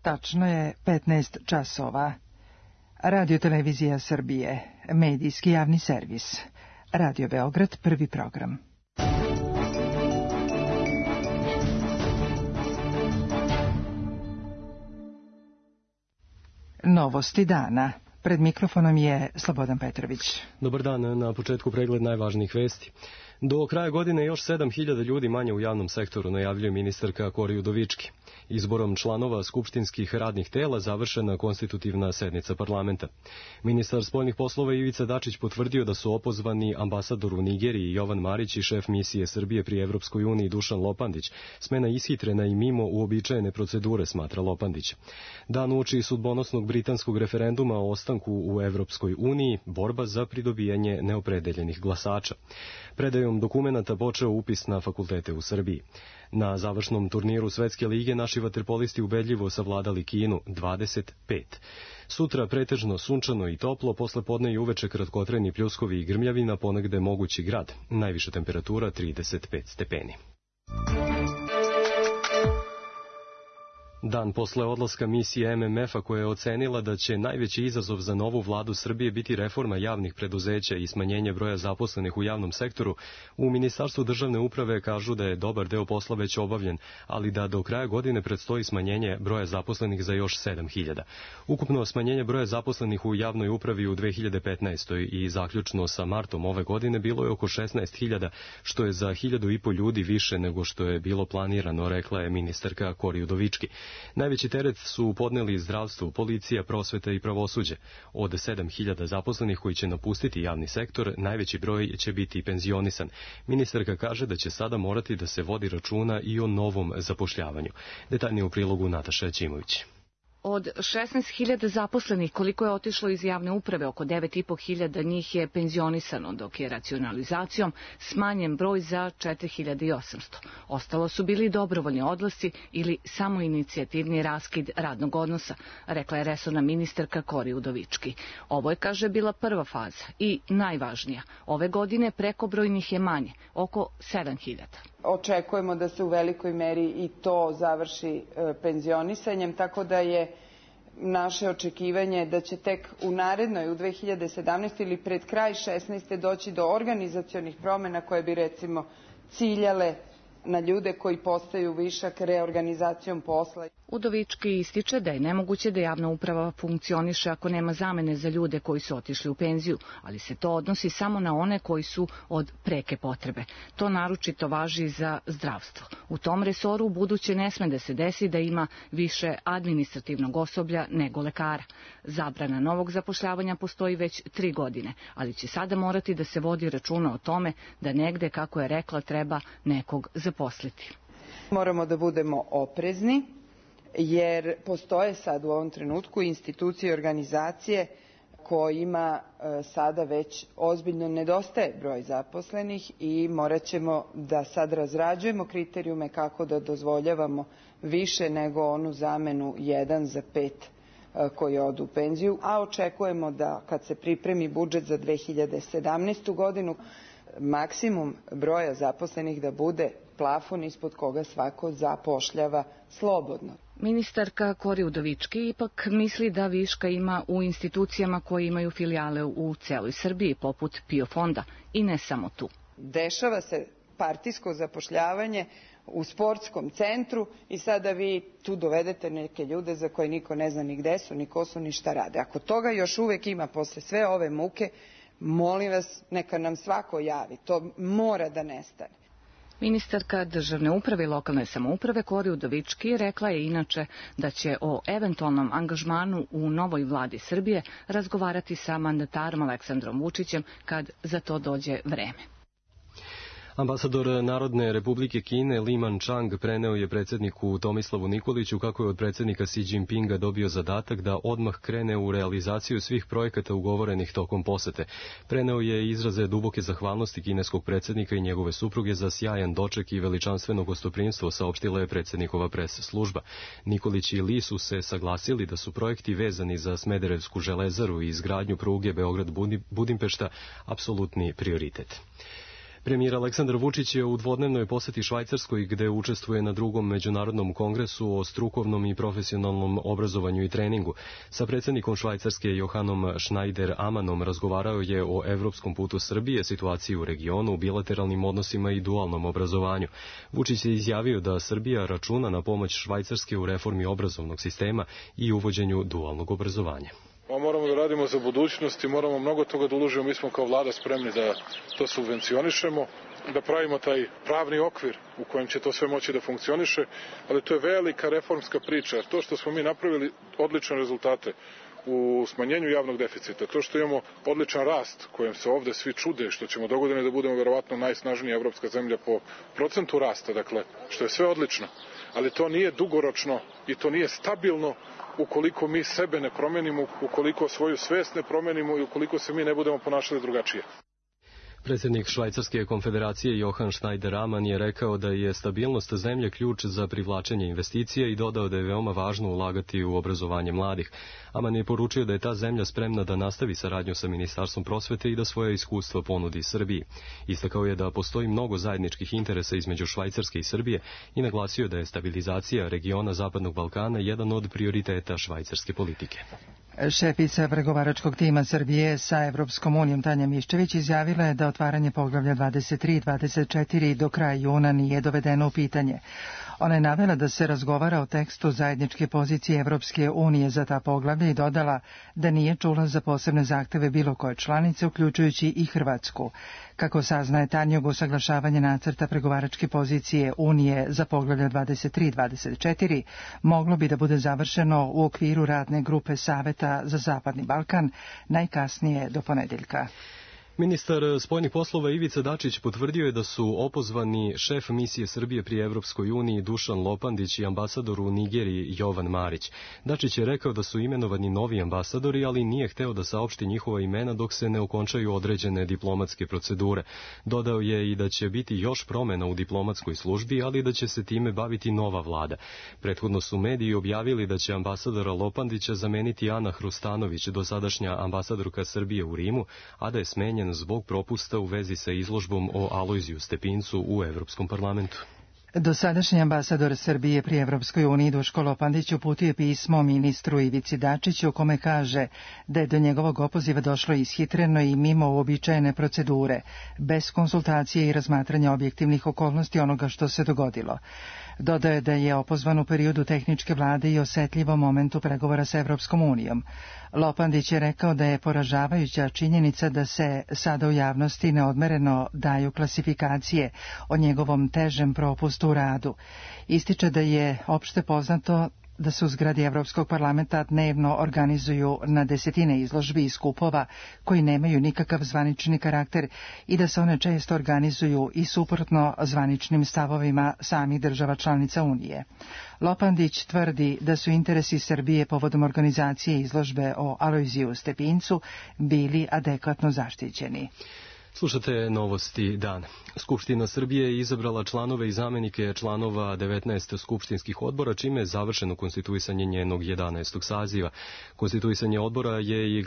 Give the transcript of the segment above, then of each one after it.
Tačno je 15 časova. Radio Televizija Srbije, medijski javni servis. Radio Beograd, prvi program. Novosti dana. Pred mikrofonom je Slobodan Petrović. Dobar dan, na početku pregled najvažnijih vesti. Do kraja godine još 7.000 ljudi manje u javnom sektoru, najavljuje ministarka Kori Udovički. Izborom članova skupštinskih radnih tela završena konstitutivna sednica parlamenta. Ministar spoljnih poslova Ivica Dačić potvrdio da su opozvani ambasador u Nigeriji Jovan Marić i šef misije Srbije pri Evropskoj uniji Dušan Lopandić. Smena ishitrena i mimo uobičajene procedure, smatra Lopandić. Dan uoči sudbonosnog britanskog referenduma o ostanku u Evropskoj uniji, borba za pridobijanje neopredeljenih glasača. Predajom dokumenata počeo upis na fakultete u Srbiji. Na završnom turniru Svetske lige naši vaterpolisti ubedljivo savladali Kinu 25. Sutra pretežno sunčano i toplo, posle podne i uveče kratkotrajni pljuskovi i grmljavina, ponegde mogući grad. Najviša temperatura 35 stepeni. Dan posle odlaska misije MMF-a koja je ocenila da će najveći izazov za novu vladu Srbije biti reforma javnih preduzeća i smanjenje broja zaposlenih u javnom sektoru, u Ministarstvu državne uprave kažu da je dobar deo posla već obavljen, ali da do kraja godine predstoji smanjenje broja zaposlenih za još 7.000. Ukupno smanjenje broja zaposlenih u javnoj upravi u 2015. i zaključno sa martom ove godine bilo je oko 16.000, što je za 1.500 ljudi više nego što je bilo planirano, rekla je ministarka Kori Udovički. Najveći teret su podneli zdravstvo, policija, prosveta i pravosuđe. Od 7.000 zaposlenih koji će napustiti javni sektor, najveći broj će biti penzionisan. Ministarka kaže da će sada morati da se vodi računa i o novom zapošljavanju. Detaljnije u prilogu Nataša Ćimović. Od 16.000 zaposlenih koliko je otišlo iz javne uprave, oko 9.500 njih je penzionisano, dok je racionalizacijom smanjen broj za 4.800. Ostalo su bili dobrovoljni odlasci ili samoinicijativni raskid radnog odnosa, rekla je resorna ministarka Kori Udovički. Ovo je, kaže, bila prva faza i najvažnija. Ove godine prekobrojnih je manje, oko 7.000. Očekujemo da se u velikoj meri i to završi penzionisanjem, tako da je naše očekivanje da će tek u narednoj, u 2017. ili pred kraj 2016. doći do organizacionih promjena koje bi recimo ciljale na ljude koji postaju višak reorganizacijom posla. Udovički ističe da je nemoguće da javna uprava funkcioniše ako nema zamene za ljude koji su otišli u penziju, ali se to odnosi samo na one koji su od preke potrebe. To naročito važi za zdravstvo. U tom resoru buduće ne sme da se desi da ima više administrativnog osoblja nego lekara. Zabrana novog zapošljavanja postoji već 3 godine, ali će sada morati da se vodi računa o tome da negde, kako je rekla, treba nekog zaposliti. Moramo da budemo oprezni, jer postoje sad u ovom trenutku institucije i organizacije kojima sada već ozbiljno nedostaje broj zaposlenih i morat ćemo da sad razrađujemo kriterijume kako da dozvoljavamo više nego onu zamenu 1 za 5 koji odu u penziju, a očekujemo da kad se pripremi budžet za 2017. godinu, maksimum broja zaposlenih da bude plafon ispod koga svako zapošljava slobodno. Ministarka Kori Udovički ipak misli da viška ima u institucijama koje imaju filijale u celoj Srbiji, poput PIO fonda, i ne samo tu. Dešava se partijsko zapošljavanje u sportskom centru i sada vi tu dovedete neke ljude za koje niko ne zna ni gde su, ni ko su, ni šta rade. Ako toga još uvek ima posle sve ove muke, molim vas, neka nam svako javi. To mora da nestane. Ministarka državne uprave i lokalne samouprave Kori Udovički rekla je inače da će o eventualnom angažmanu u novoj vladi Srbije razgovarati sa mandatarom Aleksandrom Vučićem kad za to dođe vreme. Ambasador Narodne republike Kine Li Man-chang preneo je predsjedniku Tomislavu Nikoliću kako je od predsjednika Xi Jinpinga dobio zadatak da odmah krene u realizaciju svih projekata ugovorenih tokom posete. Preneo je izraze duboke zahvalnosti kineskog predsjednika i njegove supruge za sjajan doček i veličanstveno gostoprimstvo, saopštila je predsjednikova pres služba. Nikolić i Li su se saglasili da su projekti vezani za Smederevsku železaru i izgradnju pruge Beograd-Budimpešta apsolutni prioritet. Premijer Aleksandar Vučić je u dvodnevnoj poseti Švajcarskoj, gde učestvuje na drugom međunarodnom kongresu o strukovnom i profesionalnom obrazovanju i treningu. Sa predsjednikom Švajcarske Johanom Schneider-Amanom razgovarao je o evropskom putu Srbije, situaciji u regionu, bilateralnim odnosima i dualnom obrazovanju. Vučić je izjavio da Srbija računa na pomoć Švajcarske u reformi obrazovnog sistema i uvođenju dualnog obrazovanja. Moramo da radimo za budućnost i moramo mnogo toga da uložimo. Mi smo kao vlada spremni da to subvencionišemo, da pravimo taj pravni okvir u kojem će to sve moći da funkcioniše, ali to je velika reformska priča. To što smo mi napravili odlične rezultate u smanjenju javnog deficita, to što imamo odličan rast kojem se ovde svi čude, što ćemo dogodine da budemo verovatno najsnažnija evropska zemlja po procentu rasta, dakle, što je sve odlično, ali to nije dugoročno i to nije stabilno ukoliko mi sebe ne promenimo, ukoliko svoju svest ne promenimo i ukoliko se mi ne budemo ponašali drugačije. Predsjednik Švajcarske konfederacije Johan Schneider-Aman je rekao da je stabilnost zemlje ključ za privlačenje investicija i dodao da je veoma važno ulagati u obrazovanje mladih. Aman je poručio da je ta zemlja spremna da nastavi saradnju sa Ministarstvom prosvete i da svoje iskustva ponudi Srbiji. Istakao je da postoji mnogo zajedničkih interesa između Švajcarske i Srbije i naglasio da je stabilizacija regiona Zapadnog Balkana jedan od prioriteta švajcarske politike. Šefica pregovaračkog tima Srbije sa Evropskom unijom Tanja Miščević izjavila je da otvaranje poglavlja 23 i 24 do kraja juna nije dovedeno u pitanje. Ona je navela da se razgovara o tekstu zajedničke pozicije Evropske unije za ta poglavlja i dodala da nije čula za posebne zahteve bilo koje članice, uključujući i Hrvatsku. Kako saznaje Tanjog, usaglašavanje nacrta pregovaračke pozicije Unije za poglavlja 23 i 24 moglo bi da bude završeno u okviru radne grupe Saveta za Zapadni Balkan najkasnije do ponedeljka. Ministar spoljnih poslova Ivica Dačić potvrdio je da su opozvani šef misije Srbije pri Evropskoj uniji Dušan Lopandić i ambasador u Nigeriji Jovan Marić. Dačić je rekao da su imenovani novi ambasadori, ali nije hteo da saopšti njihova imena dok se ne okončaju određene diplomatske procedure. Dodao je i da će biti još promena u diplomatskoj službi, ali da će se time baviti nova vlada. Prethodno su mediji objavili da će ambasadora Lopandića zameniti Ana Hrustanović, dosadašnja ambasadorka Srbije u Rimu, a da je smenjen zbog propusta u vezi sa izložbom o Alojziju Stepincu u Evropskom parlamentu. Dosadašnji ambasador Srbije pri Evropskoj uniji Duško Lopandić uputio je pismo ministru Ivici Dačiću u kome kaže da je do njegovog opoziva došlo ishitreno i mimo uobičajene procedure, bez konsultacije i razmatranja objektivnih okolnosti onoga što se dogodilo. Dodao je da je opozvan u periodu tehničke vlade i osetljivom momentu pregovora sa Evropskom unijom. Lopandić je rekao da je poražavajuća činjenica da se sada u javnosti neodmereno daju klasifikacije o njegovom težem propustu u radu. Ističe da je opšte poznato da se u zgradi Evropskog parlamenta dnevno organizuju na desetine izložbi i skupova koji nemaju nikakav zvanični karakter i da se one često organizuju i suprotno zvaničnim stavovima samih država članica Unije. Lopandić tvrdi da su interesi Srbije povodom organizacije izložbe o Alojziju Stepincu bili adekvatno zaštićeni. Slušate novosti dana. Skupština Srbije je izabrala članove i zamenike članova 19 skupštinskih odbora, čime je završeno konstituisanje njenog 11. saziva. Konstituisanje odbora je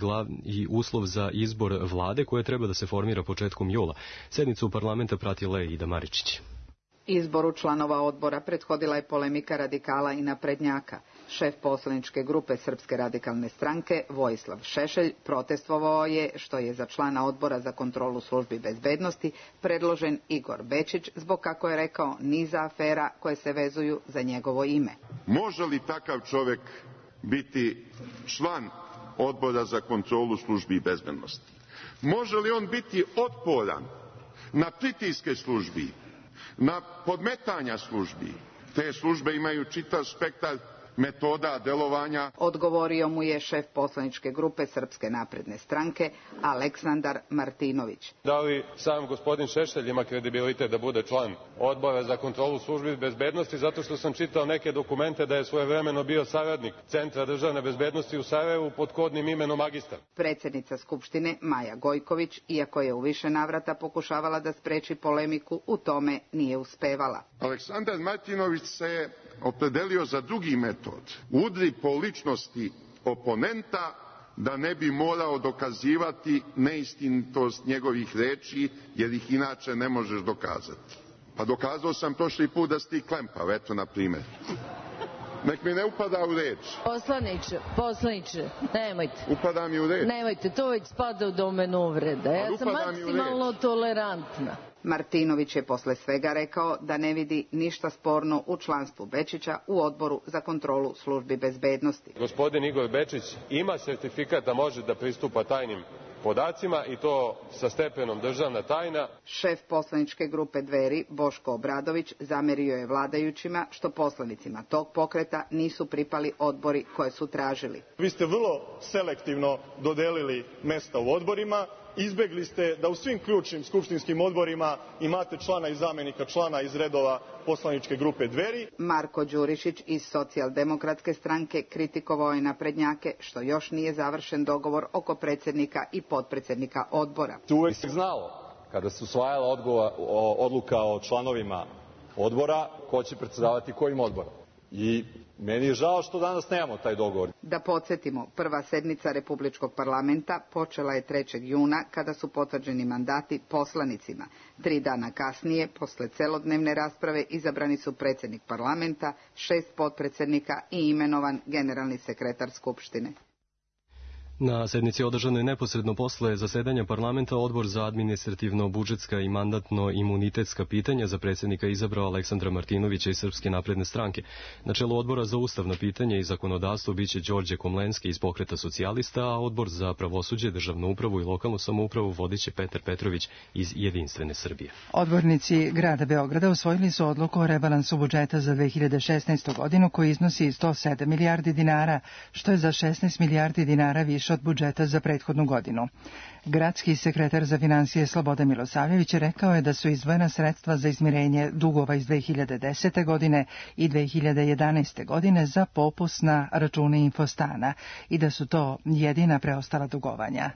i uslov za izbor vlade koje treba da se formira početkom jula. Sednicu parlamenta pratila je Ida Maričić. Izboru članova odbora prethodila je polemika radikala i naprednjaka. Šef poslaničke grupe Srpske radikalne stranke, Vojislav Šešelj, protestvovao je što je za člana odbora za kontrolu službi bezbednosti predložen Igor Bečić zbog, kako je rekao, niza afera koje se vezuju za njegovo ime. Može li takav čovjek biti član odbora za kontrolu službi bezbednosti? Može li on biti otporan na pritiske službi, na podmetanja službi? Te službe imaju čitav spektar metoda delovanja. Odgovorio mu je šef poslaničke grupe Srpske napredne stranke Aleksandar Martinović. Da li sam gospodin Šešelj ima kredibilitet da bude član odbora za kontrolu službi bezbednosti, zato što sam čitao neke dokumente da je svojevremeno bio saradnik Centra državne bezbednosti u Sarajevu pod kodnim imenom magistar. Predsjednica Skupštine Maja Gojković, iako je u više navrata pokušavala da spreči polemiku, u tome nije uspevala. Aleksandar Martinović se opredelio za drugi metod. Udri po ličnosti oponenta da ne bi morao dokazivati neistinitost njegovih reči, jer ih inače ne možeš dokazati. Pa dokazao sam prošli put da si ti klempav, eto na primjer. Nek mi ne upada u reč. Poslaniče, nemojte. Upada mi u reč. Nemojte, to već spada u domenu uvreda. Ja sam maksimalno tolerantna. Martinović je posle svega rekao da ne vidi ništa sporno u članstvu Bečića u Odboru za kontrolu službi bezbednosti. Gospodin Igor Bečić ima sertifikat da može da pristupa tajnim podacima i to sa stepenom državna tajna. Šef poslaničke grupe Dveri, Boško Obradović, zamerio je vladajućima što poslanicima tog pokreta nisu pripali odbori koje su tražili. Vi ste vrlo selektivno dodelili mesta u odborima, izbegli ste da u svim ključnim skupštinskim odborima imate člana i zamenika člana iz redova poslaničke grupe Dveri. Marko Đurišić iz Socijaldemokratske stranke kritikovao je naprednjake što još nije završen dogovor oko predsjednika i potpredsjednika odbora. Uvek se znalo, kada se usvajala odluka o članovima odbora, ko će predsedavati kojim odborom. I meni je žao što danas nemamo taj dogovor. Da podsjetimo, prva sednica Republičkog parlamenta počela je 3. juna kada su potvrđeni mandati poslanicima. 3 dana kasnije, posle celodnevne rasprave, izabrani su predsjednik parlamenta, 6 potpredsjednika i imenovan generalni sekretar Skupštine. Na sednici održanoj neposredno posle zasedanja parlamenta Odbor za administrativno-budžetska i mandatno-imunitetska pitanja za predsjednika izabrao Aleksandra Martinovića iz Srpske napredne stranke. Na čelu Odbora za ustavna pitanja i zakonodavstvo biće Đorđe Komlenski iz Pokreta socijalista, a Odbor za pravosuđe, državnu upravu i lokalnu samoupravu vodiće Petar Petrović iz Jedinstvene Srbije. Odbornici grada Beograda usvojili su odluku o rebalansu budžeta za 2016. godinu koji iznosi 107 milijardi dinara, što je za 16 milijardi dinara više od budžeta za prethodnu godinu. Gradski sekretar za finansije Slobodan Milosavljević rekao je da su izdvojena sredstva za izmirenje dugova iz 2010. godine i 2011. godine za popust na račune Infostana i da su to jedina preostala dugovanja.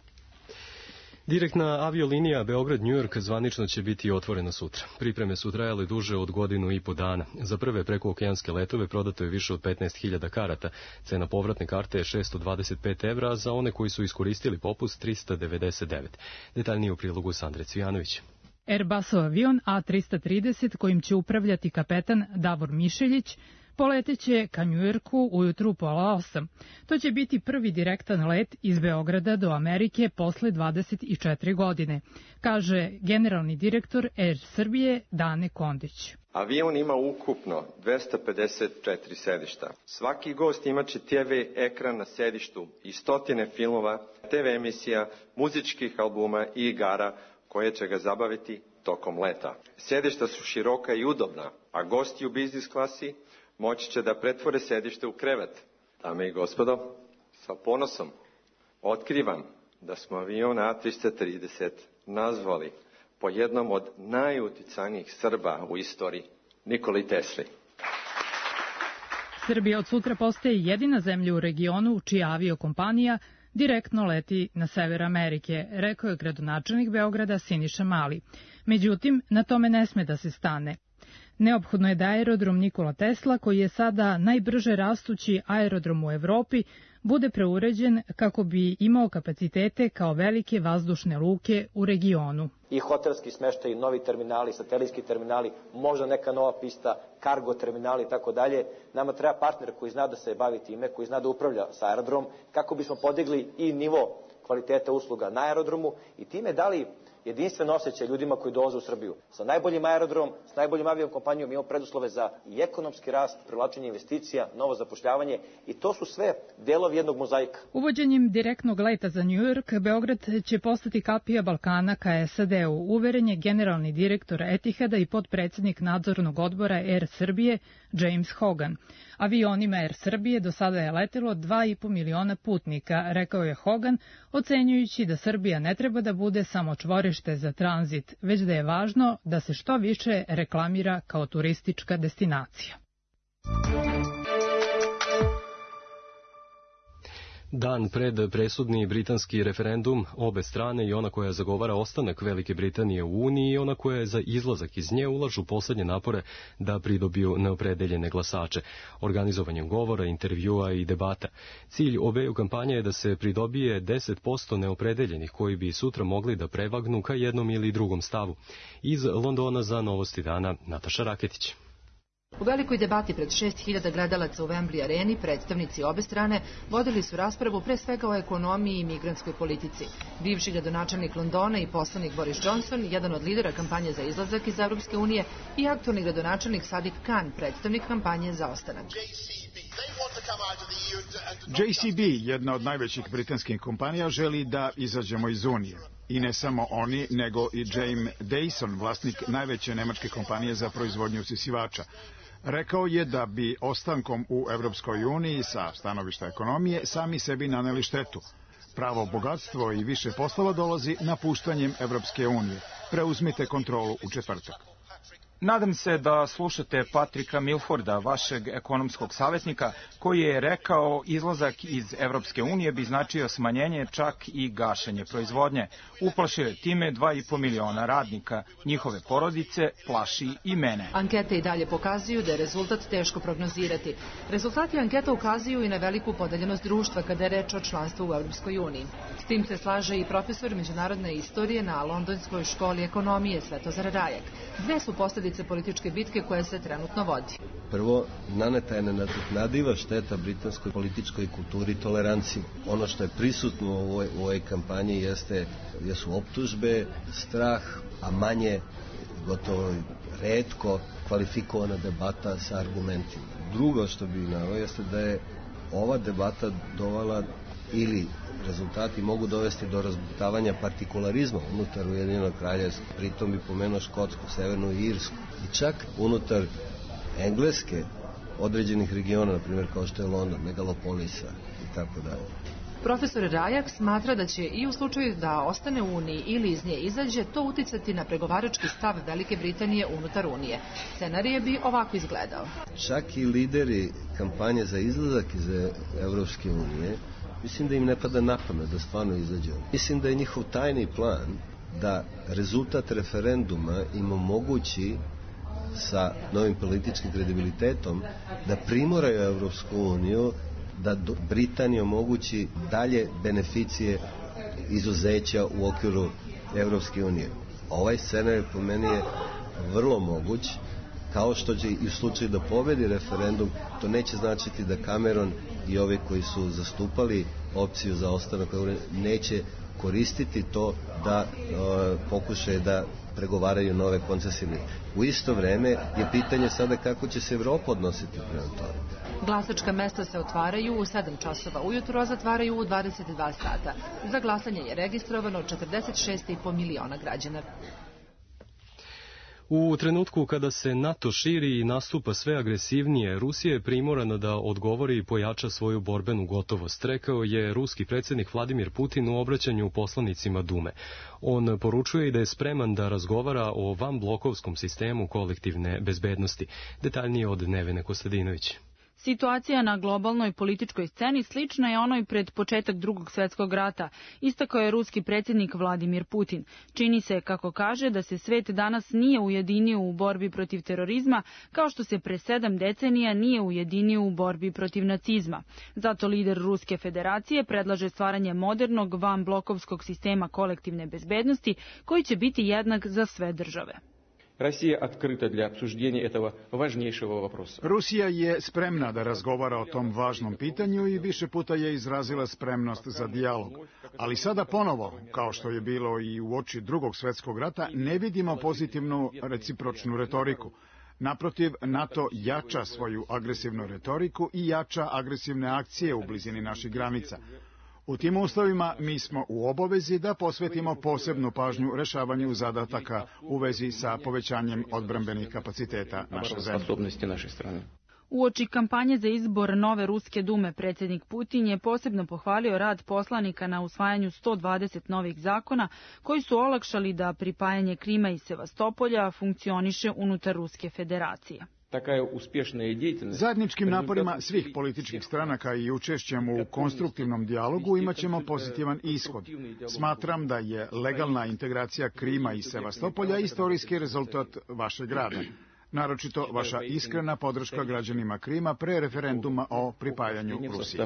Direktna aviolinija Beograd-New York zvanično će biti otvorena sutra. Pripreme su trajale duže od 1,5 godina. Za prve prekookeanske letove prodato je više od 15.000 karata. Cena povratne karte je 625 evra, a za one koji su iskoristili popust 399. Detaljnije u prilogu Sandre Cvijanović. Airbusov avion A330 kojim će upravljati kapetan Davor Mišeljić poleteće ka Njujorku ujutru pola 8. To će biti prvi direktan let iz Beograda do Amerike posle 24 godine, kaže generalni direktor Air Srbije Dane Kondić. Avion ima ukupno 254 sedišta. Svaki gost imaće TV ekran na sedištu i stotine filmova, TV emisija, muzičkih albuma i igara koje će ga zabaviti tokom leta. Sedišta su široka i udobna, a gosti u biznis klasi moći će da pretvore sedište u krevet. Dame i gospodo, sa ponosom otkrivam da smo avion A330 nazvali po jednom od najuticajnijih Srba u istoriji, Nikoli Tesli. Srbija od sutra postaje jedina zemlja u regionu čija aviokompanija direktno leti na sever Amerike, rekao je gradonačelnik Beograda Siniša Mali. Međutim, na tome ne sme da se stane. Neophodno je da aerodrom Nikola Tesla, koji je sada najbrže rastući aerodrom u Evropi, bude preuređen kako bi imao kapacitete kao velike vazdušne luke u regionu. I hotelski smeštaj, novi terminali, satelitski terminali, možda neka nova pista, kargo terminali i tako dalje. Nama treba partner koji zna da se bavi time, koji zna da upravlja sa aerodromom, kako bismo podigli i nivo kvaliteta usluga na aerodromu i time dali jedinstven osjećaj ljudima koji dolaze u Srbiju. Sa najboljim aerodromom, s najboljim aviokompanijom imamo preduslove za i ekonomski rast, privlačenje investicija, novo zapošljavanje i to su sve delovi jednog mozaika. Uvođenjem direktnog leta za New York, Beograd će postati kapija Balkana ka SAD-u, uveren je generalni direktor Etihada i potpredsjednik nadzornog odbora Air Srbije James Hogan. Avionima Air Srbije do sada je letelo 2,5 miliona putnika, rekao je Hogan, ocenjujući da Srbija ne treba da bude samo čvorište za tranzit, već da je važno da se što više reklamira kao turistička destinacija. Dan pred presudni britanski referendum, obe strane, i ona koja zagovara ostanak Velike Britanije u Uniji i ona koja je za izlazak iz nje, ulažu poslednje napore da pridobiju neopredeljene glasače, organizovanjem govora, intervjua i debata. Cilj obeju kampanja je da se pridobije 10% neopredeljenih koji bi sutra mogli da prevagnu ka jednom ili drugom stavu. Iz Londona za Novosti dana, Nataša Raketić. U velikoj debati pred 6000 gledalaca u Wembley areni predstavnici obe strane vodili su raspravu pre svega o ekonomiji i migrantskoj politici. Bivši gradonačelnik Londona i poslanik Boris Johnson, jedan od lidera kampanje za izlazak iz Evropske unije, i aktualni gradonačelnik Sadiq Khan, predstavnik kampanje za ostanak. JCB, jedna od najvećih britanskih kompanija, želi da izađemo iz Unije. I ne samo oni, nego i James Dyson, vlasnik najveće nemačke kompanije za proizvodnju usisivača. Rekao je da bi ostankom u Evropskoj uniji sa stanovišta ekonomije sami sebi naneli štetu. Pravo bogatstvo i više poslova dolazi napuštanjem Evropske unije. Preuzmite kontrolu u četvrtak. Nadam se da slušate Patrika Milforda, vašeg ekonomskog savjetnika, koji je rekao izlazak iz Evropske unije bi značio smanjenje, čak i gašenje proizvodnje. Uplašio je time 2,5 miliona radnika, njihove porodice, plaši i mene. Ankete i dalje pokazuju da je rezultat teško prognozirati. Rezultati anketa ukazuju i na veliku podeljenost društva kada je reč o članstvu u Evropskoj uniji. S tim se slaže i profesor međunarodne istorije na Londonskoj školi ekonomije Svetozar Rajak. Dve su posledice političke bitke koja se trenutno vodi. Prvo, naneta je nenadoknadiva šteta britanskoj političkoj kulturi i toleranciji. Ono što je prisutno u ovoj kampanji jesu optužbe, strah, a manje, gotovo retko, kvalifikovana debata sa argumentima. Drugo što bih naveo jeste da je ova debata dovela ili rezultati mogu dovesti do razbutavanja partikularizma unutar Ujedinjenog kraljevstva. Pritom bi pomenuo Škotsku, Severnu i Irsku. I čak unutar Engleske određenih regiona, na primjer kao što je London, megalopolisa i tako dalje. Profesor Rajak smatra da će i u slučaju da ostane u Uniji ili iz nje izađe to uticati na pregovarački stav Velike Britanije unutar Unije. Scenarij bi ovako izgledao. Čak i lideri kampanje za izlazak iz Evropske unije, mislim da im ne pada na pamet da stvarno izađu. Mislim da je njihov tajni plan da rezultat referenduma im omogući sa novim političkim kredibilitetom da primoraju Evropsku uniju da Britaniji omogući dalje beneficije izuzeća u okviru Evropske unije. Ovaj scenarij po meni je vrlo moguć, kao što će i u slučaju da pobedi referendum, to neće značiti da Cameron i ovi koji su zastupali opciju za ostanak neće koristiti to da pokušaju da pregovaraju nove koncesije. U isto vreme je pitanje sada kako će se Evropa odnositi prema tome. Glasačka mesta se otvaraju u 7 časova ujutro, a zatvaraju u 22 sata. Za glasanje je registrovano 46,5 miliona građana. U trenutku kada se NATO širi i nastupa sve agresivnije, Rusija je primorana da odgovori i pojača svoju borbenu gotovost, rekao je ruski predsjednik Vladimir Putin u obraćanju poslanicima Dume. On poručuje i da je spreman da razgovara o vanblokovskom sistemu kolektivne bezbednosti. Detaljnije od Nevene Kostadinović. Situacija na globalnoj političkoj sceni slična je onoj pred početak Drugog svjetskog rata, istakao je ruski predsjednik Vladimir Putin. Čini se, kako kaže, da se svet danas nije ujedinio u borbi protiv terorizma, kao što se pre 7 decenija nije ujedinio u borbi protiv nacizma. Zato lider Ruske federacije predlaže stvaranje modernog vanblokovskog sistema kolektivne bezbednosti koji će biti jednak za sve države. Rusija je spremna da razgovara o tom važnom pitanju i više puta je izrazila spremnost za dijalog. Ali sada ponovo, kao što je bilo i u oči Drugog svjetskog rata, ne vidimo pozitivnu recipročnu retoriku. Naprotiv, NATO jača svoju agresivnu retoriku i jača agresivne akcije u blizini naših granica. U tim uslovima mi smo u obavezi da posvetimo posebnu pažnju rešavanju zadataka u vezi sa povećanjem odbrambenih kapaciteta naše zemlje. Uoči kampanje za izbor nove Ruske dume, predsjednik Putin je posebno pohvalio rad poslanika na usvajanju 120 novih zakona koji su olakšali da pripajanje Krima i Sevastopolja funkcioniše unutar Ruske federacije. Zajedničkim naporima svih političkih stranaka i učešćem u konstruktivnom dijalogu imaćemo pozitivan ishod. Smatram da je legalna integracija Krima i Sevastopolja istorijski rezultat vašeg rada. Naročito vaša iskrena podrška građanima Krima pre referenduma o pripajanju Rusiji.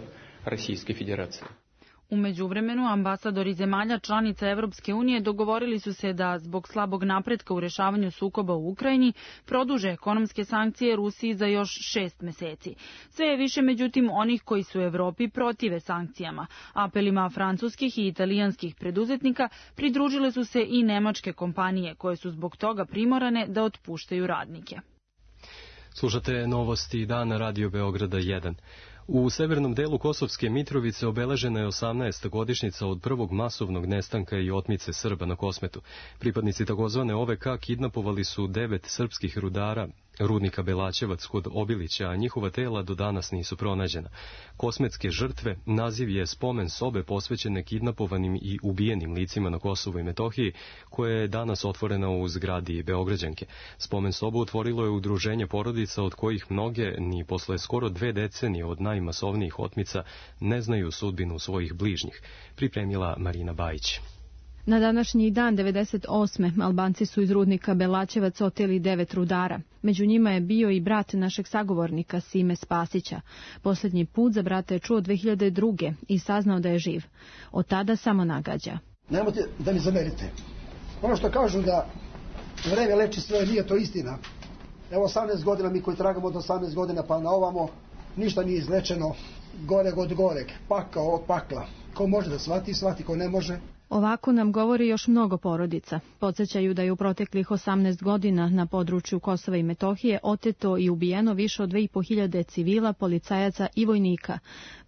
U međuvremenu, ambasadori zemalja članica Evropske unije dogovorili su se da, zbog slabog napretka u rešavanju sukoba u Ukrajini, produže ekonomske sankcije Rusiji za još 6 meseci. Sve je više, međutim, onih koji su u Evropi protive sankcijama. Apelima francuskih i italijanskih preduzetnika pridružile su se i nemačke kompanije, koje su zbog toga primorane da otpuštaju radnike. Slušate novosti dana Radio Beograda 1. U severnom delu Kosovske Mitrovice obeležena je 18. godišnjica od prvog masovnog nestanka i otmice Srba na Kosmetu. Pripadnici takozvane OVK kidnapovali su 9 srpskih rudara rudnika Belaćevac kod Obilića, a njihova tela do danas nisu pronađena. Kosmetske žrtve naziv je spomen sobe posvećene kidnapovanim i ubijenim licima na Kosovu i Metohiji, koja je danas otvorena u zgradi Beograđanke. Spomen sobu otvorilo je udruženje porodica od kojih mnoge ni posle skoro 2 decenije od najmasovnijih otmica ne znaju sudbinu svojih bližnjih, pripremila Marina Bajić. Na današnji dan 98. Albanci su iz rudnika Belaćevac oteli 9 rudara. Među njima je bio i brat našeg sagovornika Sime Spasića. Posljednji put za brata je čuo 2002. i saznao da je živ. Od tada samo nagađa. Nemojte da mi zamerite. Ono što kažu da vreme leči sve, nije to istina. Evo 18 godina, mi koji tragamo od 18 godina pa na ovamo, ništa nije izlečeno, goreg od goreg, pakao od pakla. Ko može da shvati, shvati, ko ne može. Ovako nam govori još mnogo porodica. Podsjećaju da je u proteklih 18 godina na području Kosova i Metohije oteto i ubijeno više od 2500 civila, policajaca i vojnika,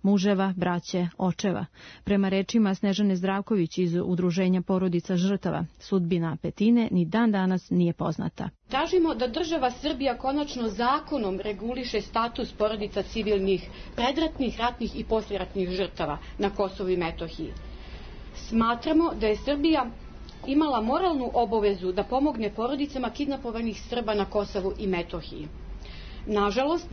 muževa, braće, očeva. Prema rečima Snežane Zdravković iz Udruženja porodica žrtava, sudbina petine ni dan danas nije poznata. Tražimo da država Srbija konačno zakonom reguliše status porodica civilnih, predratnih, ratnih i poslijeratnih žrtava na Kosovu i Metohiji. Smatramo da je Srbija imala moralnu obavezu da pomogne porodicama kidnapovanih Srba na Kosovu i Metohiji. Nažalost,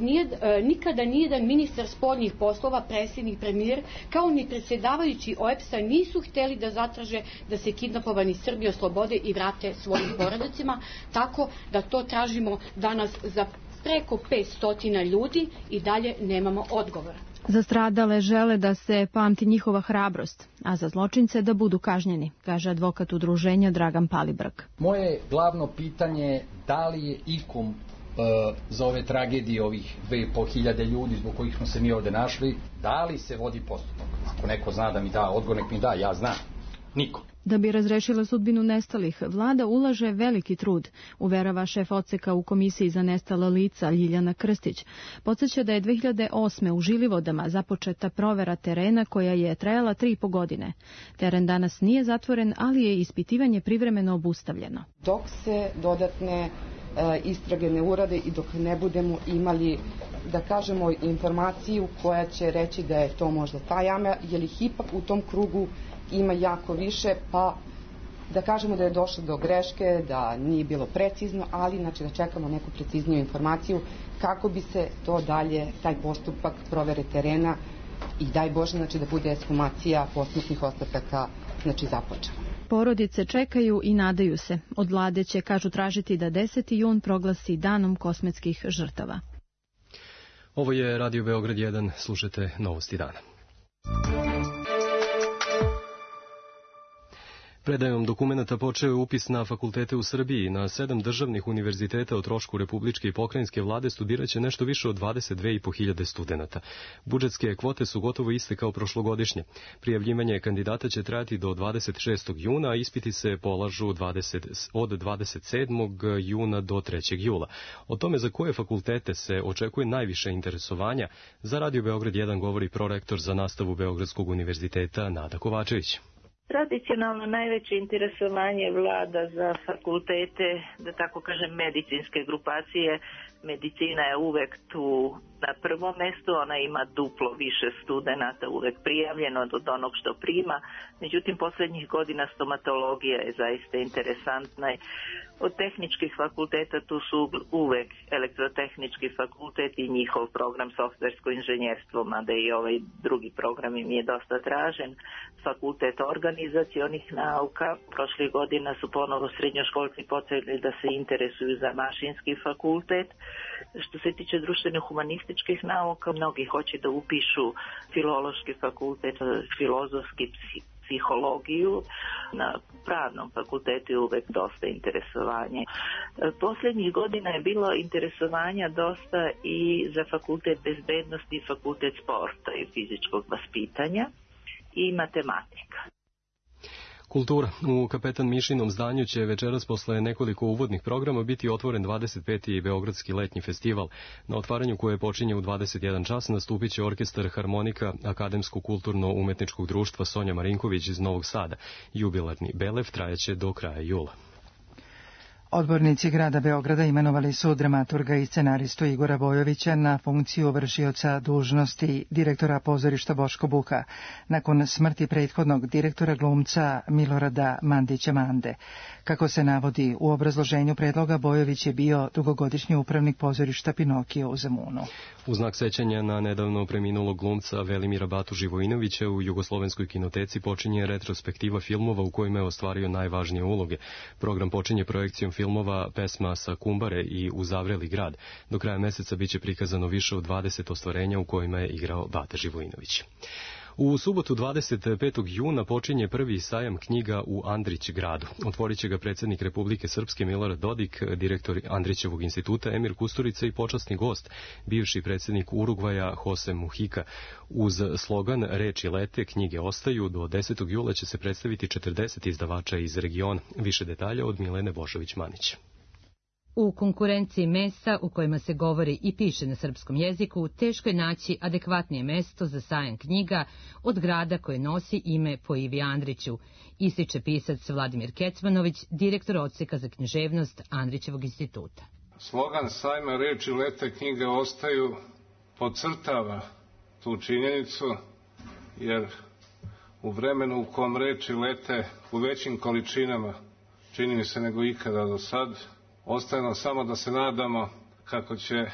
nikada nijedan ministar spoljnih poslova, predsjednik, premijer, kao ni predsjedavajući OEBS-a nisu htjeli da zatraže da se kidnapovani Srbi oslobode i vrate svojim porodicama, tako da to tražimo danas za preko 500 ljudi i dalje nemamo odgovora. Za stradale žele da se pamti njihova hrabrost, a za zločince da budu kažnjeni, kaže advokat udruženja Dragan Palibrg. Moje glavno pitanje je da li je ikom za ove tragedije, ovih 2500 ljudi zbog kojih smo se mi ovdje našli, da li se vodi postupak? Ako neko zna da mi da odgovor, nek mi da, ja znam. Niko. Da bi razrešila sudbinu nestalih, vlada ulaže veliki trud, uverava šef odseka u Komisiji za nestala lica Ljiljana Krstić. Podsjeća da je 2008. u Žilivodama započeta provera terena koja je trajala 3,5 godine. Teren danas nije zatvoren, ali je ispitivanje privremeno obustavljeno. Dok se dodatne istrage ne urade i dok ne budemo imali, da kažemo, informaciju koja će reći da je to možda ta jama, jer ih ipak u tom krugu ima jako više, pa da kažemo da je došlo do greške, da nije bilo precizno, ali znači da čekamo neku precizniju informaciju kako bi se to dalje, taj postupak provere terena i daj Bože znači da bude ekshumacija posmrtnih ostataka znači započela. Porodice čekaju i nadaju se. Od vlade će, kažu, tražiti da 10. jun proglasi danom kosmetskih žrtava. Ovo je Radio Beograd 1, slušajte novosti dana. Predajom dokumenata počeo je upis na fakultete u Srbiji. Na 7 državnih univerziteta o trošku republičke i pokrajinske vlade studiraće nešto više od 22.500 studenata. Budžetske kvote su gotovo iste kao prošlogodišnje. Prijavljivanje kandidata će trajati do 26. juna, a ispiti se polažu od 27. juna do 3. jula. O tome za koje fakultete se očekuje najviše interesovanja, za Radio Beograd 1 govori prorektor za nastavu Beogradskog univerziteta Nada Kovačević. Tradicionalno najveće interesovanje vlada za fakultete, da tako kažem, medicinske grupacije. Medicina je uvek tu na prvom mestu, ona ima duplo više studenata uvek prijavljeno od onog što prima, međutim poslednjih godina stomatologija je zaista interesantna. Od tehničkih fakulteta tu su uvek elektrotehnički fakultet i njihov program softversko inženjerstvo, mada i ovaj drugi program im je dosta tražen. Fakultet organizacionih nauka, prošlih godina su ponovo srednjoškolci počeli da se interesuju za mašinski fakultet. Što se tiče društveno-humanističkih nauka, mnogi hoće da upišu filološki fakultet, filozofski psihologiju. Na pravnom fakultetu je uvek dosta interesovanje. Posljednjih godina je bilo interesovanja dosta i za fakultet bezbednosti i fakultet sporta i fizičkog vaspitanja i matematika. Kultura. U Kapetan Mišinom zdanju će večeras posle nekoliko uvodnih programa biti otvoren 25. Beogradski letnji festival. Na otvaranju koje počinje u 21 čas nastupit će orkestar Harmonika Akademsko-kulturno-umetničkog društva Sonja Marinković iz Novog Sada. Jubilarni belev trajeće do kraja jula. Odbornici grada Beograda imenovali su dramaturga i scenaristu Igora Bojovića na funkciju vršioca dužnosti direktora pozorišta Boško Buha, nakon smrti prethodnog direktora glumca Milorada Mandića Mande. Kako se navodi u obrazloženju predloga, Bojović je bio dugogodišnji upravnik pozorišta Pinokio u Zemunu. U znak sećanja na nedavno preminulog glumca Velimira Batu Živojinovića u Jugoslovenskoj kinoteci počinje retrospektiva filmova u kojima je ostvario najvažnije uloge. Program počinje projekcijom filmova Pesma sa Kumbare i Uzavreli grad. Do kraja meseca biće prikazano više od 20 ostvarenja u kojima je igrao Bata Živojinović. U subotu 25. juna počinje prvi sajam knjiga u Andrić gradu. Otvorit će ga predsjednik Republike Srpske Milorad Dodik, direktor Andrićevog instituta Emir Kusturica i počasni gost, bivši predsjednik Urugvaja Jose Mujica. Uz slogan Reči lete, knjige ostaju, do 10. jula će se predstaviti 40 izdavača iz regiona. Više detalja od Milene Bošović-Manić. U konkurenciji mesta u kojima se govori i piše na srpskom jeziku, teško je naći adekvatnije mesto za sajam knjiga od grada koje nosi ime po Ivi Andriću, ističe pisac Vladimir Kecmanović, direktor odseka za književnost Andrićevog instituta. Slogan sajma Reči lete, knjige ostaju podcrtava tu činjenicu, jer u vremenu u kom reči lete u većim količinama, čini mi se nego ikada do sad, ostaje nam samo da se nadamo kako će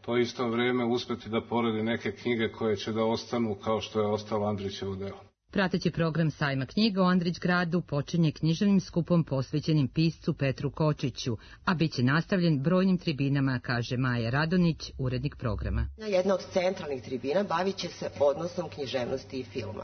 to isto vrijeme uspjeti da porodi neke knjige koje će da ostanu kao što je ostalo Andrićevo delo. Prateći program sajma knjiga u Andrić gradu počinje književnim skupom posvećenim piscu Petru Kočiću, a bit će nastavljen brojnim tribinama, kaže Maja Radonić, urednik programa. Jedna od centralnih tribina bavit će se odnosom književnosti i filma.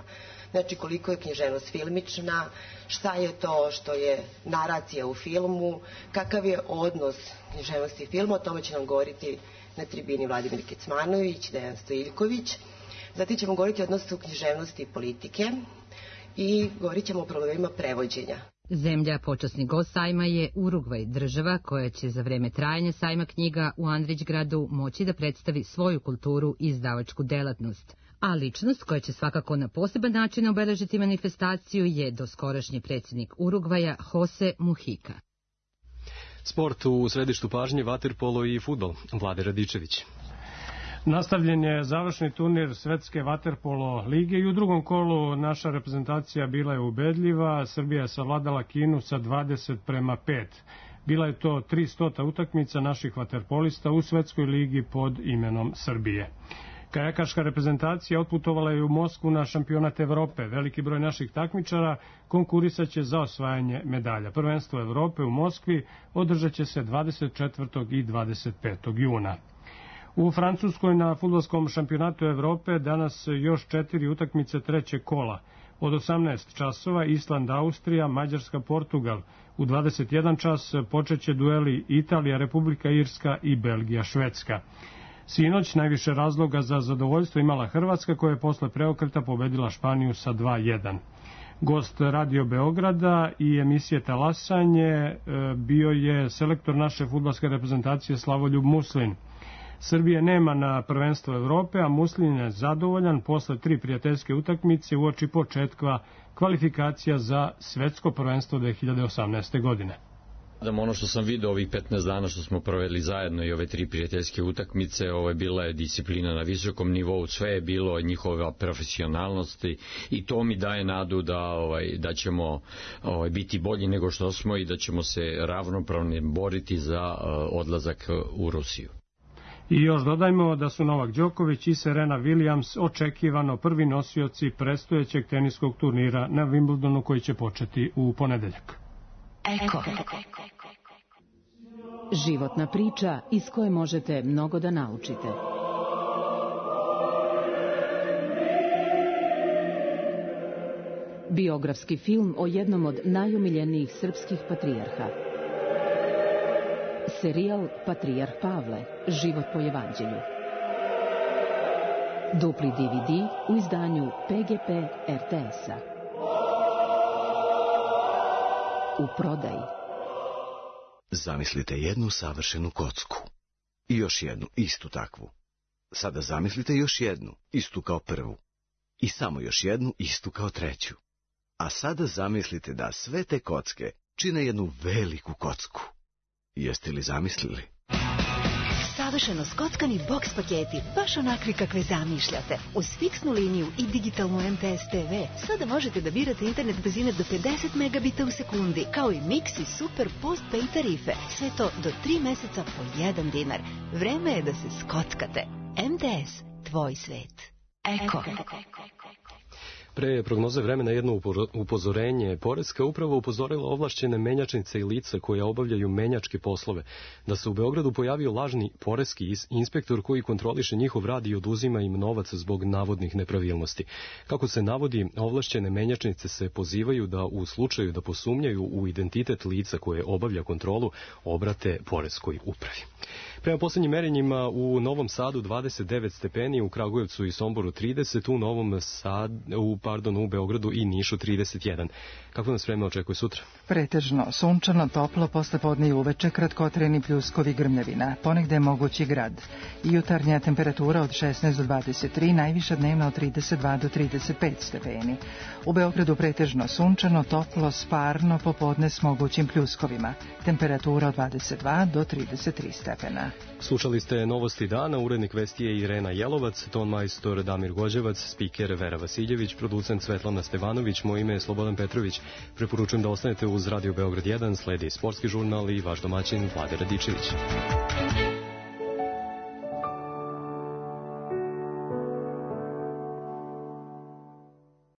Znači koliko je književnost filmična, šta je to što je naracija u filmu, kakav je odnos književnosti i filma, o tome će nam govoriti na tribini Vladimir Kecmanović, Dejan Stojiljković. Zatim ćemo govoriti o odnosu književnosti i politike i govorit ćemo o problemima prevođenja. Zemlja počasni gost sajma je Urugvaj, država koja će za vreme trajanja sajma knjiga u Andrićgradu moći da predstavi svoju kulturu i izdavačku delatnost. A ličnost koja će svakako na poseban način obeležiti manifestaciju je doskorašnji predsjednik Urugvaja Jose Mujica. Sport u središtu pažnje, vaterpolo i fudbal. Vlade Radičević. Nastavljen je završni turnir Svetske vaterpolo lige i u drugom kolu naša reprezentacija bila je ubedljiva. Srbija je savladala Kinu sa 20:5. Bila je to 300. utakmica naših vaterpolista u Svetskoj ligi pod imenom Srbije. Kajakaška reprezentacija otputovala je u Moskvu na šampionat Evrope. Veliki broj naših takmičara konkurisaće za osvajanje medalja. Prvenstvo Evrope u Moskvi održat će se 24. i 25. juna. U Francuskoj na fudbalskom šampionatu Evrope danas još 4 utakmice trećeg kola. Od 18 časova Island, Austrija, Mađarska, Portugal. U 21 čas počeće dueli Italija, Republika Irska i Belgija, Švedska. Sinoć najviše razloga za zadovoljstvo imala Hrvatska koja je posle preokreta pobedila Španiju sa 2:1. Gost Radio Beograda i emisije Talasanje bio je selektor naše fudbalske reprezentacije Slavoljub Muslin. Srbije nema na prvenstvo Evrope, a Muslin je zadovoljan posle 3 prijateljske utakmice uoči početka kvalifikacija za svetsko prvenstvo 2018. godine. Ono što sam vidio ovih 15 dana što smo proveli zajedno i ove 3 prijateljske utakmice, bila je disciplina na visokom nivou, sve je bilo njihova profesionalnost i to mi daje nadu da ćemo biti bolji nego što smo i da ćemo se ravnopravno boriti za odlazak u Rusiju. I još dodajmo da su Novak Đoković i Serena Williams očekivano prvi nosioci predstojećeg teniskog turnira na Wimbledonu koji će početi u ponedeljak. Eko. Životna priča iz koje možete mnogo da naučite. Biografski film o jednom od najomiljenijih srpskih patrijarha. Serijal Patrijarh Pavle, život po evanđelju. Dupli DVD u izdanju PGP RTS-a. U prodaji. Zamislite jednu savršenu kocku. I još jednu, istu takvu. Sada zamislite još jednu, istu kao prvu. I samo još jednu, istu kao treću. A sada zamislite da sve te kocke čine jednu veliku kocku. Jeste li zamislili? Savršeno skockani boks paketi, baš onakvi kakve zamišljate. Uz fiksnu liniju i digitalnu MTS TV, sada možete da birate internet brzine do 50 megabita u sekundi, kao i Mix i Super Postpay tarife. Sve to do 3 meseca po 1 dinar. Vreme je da se skockate. MTS, tvoj svet. Eko. Pre prognoze vremena jedno upozorenje. Poreska uprava upozorila ovlašćene menjačnice i lica koje obavljaju menjačke poslove da se u Beogradu pojavio lažni poreski inspektor koji kontroliše njihov rad i oduzima im novac zbog navodnih nepravilnosti. Kako se navodi, ovlašćene menjačnice se pozivaju da u slučaju da posumnjaju u identitet lica koje obavlja kontrolu obrate poreskoj upravi. Prema poslednjim merenjima u Novom Sadu 29 stepeni, u Kragujevcu i Somboru 30, u Beogradu i Nišu 31. Kako nas vreme očekuje sutra? Pretežno sunčano, toplo, poslepodne i uveče, kratkotrajni pljuskovi, grmljavina. Ponegde je mogući grad. Jutarnja temperatura od 16 do 23, najviša dnevna od 32 do 35 stepeni. U Beogradu pretežno sunčano, toplo, sparno, popodne s mogućim pljuskovima. Temperatura od 22 do 33 stepena. Slušali ste Novosti dana, urednik vesti je Irena Jelovac, ton majstor Damir Gođevac, spiker Vera Vasiljević, producent Svetlana Stevanović, moje ime je Slobodan Petrović. Preporučujem da ostanete uz Radio Beograd 1, sledi sportski žurnal i vaš domaćin Vlade Radičević.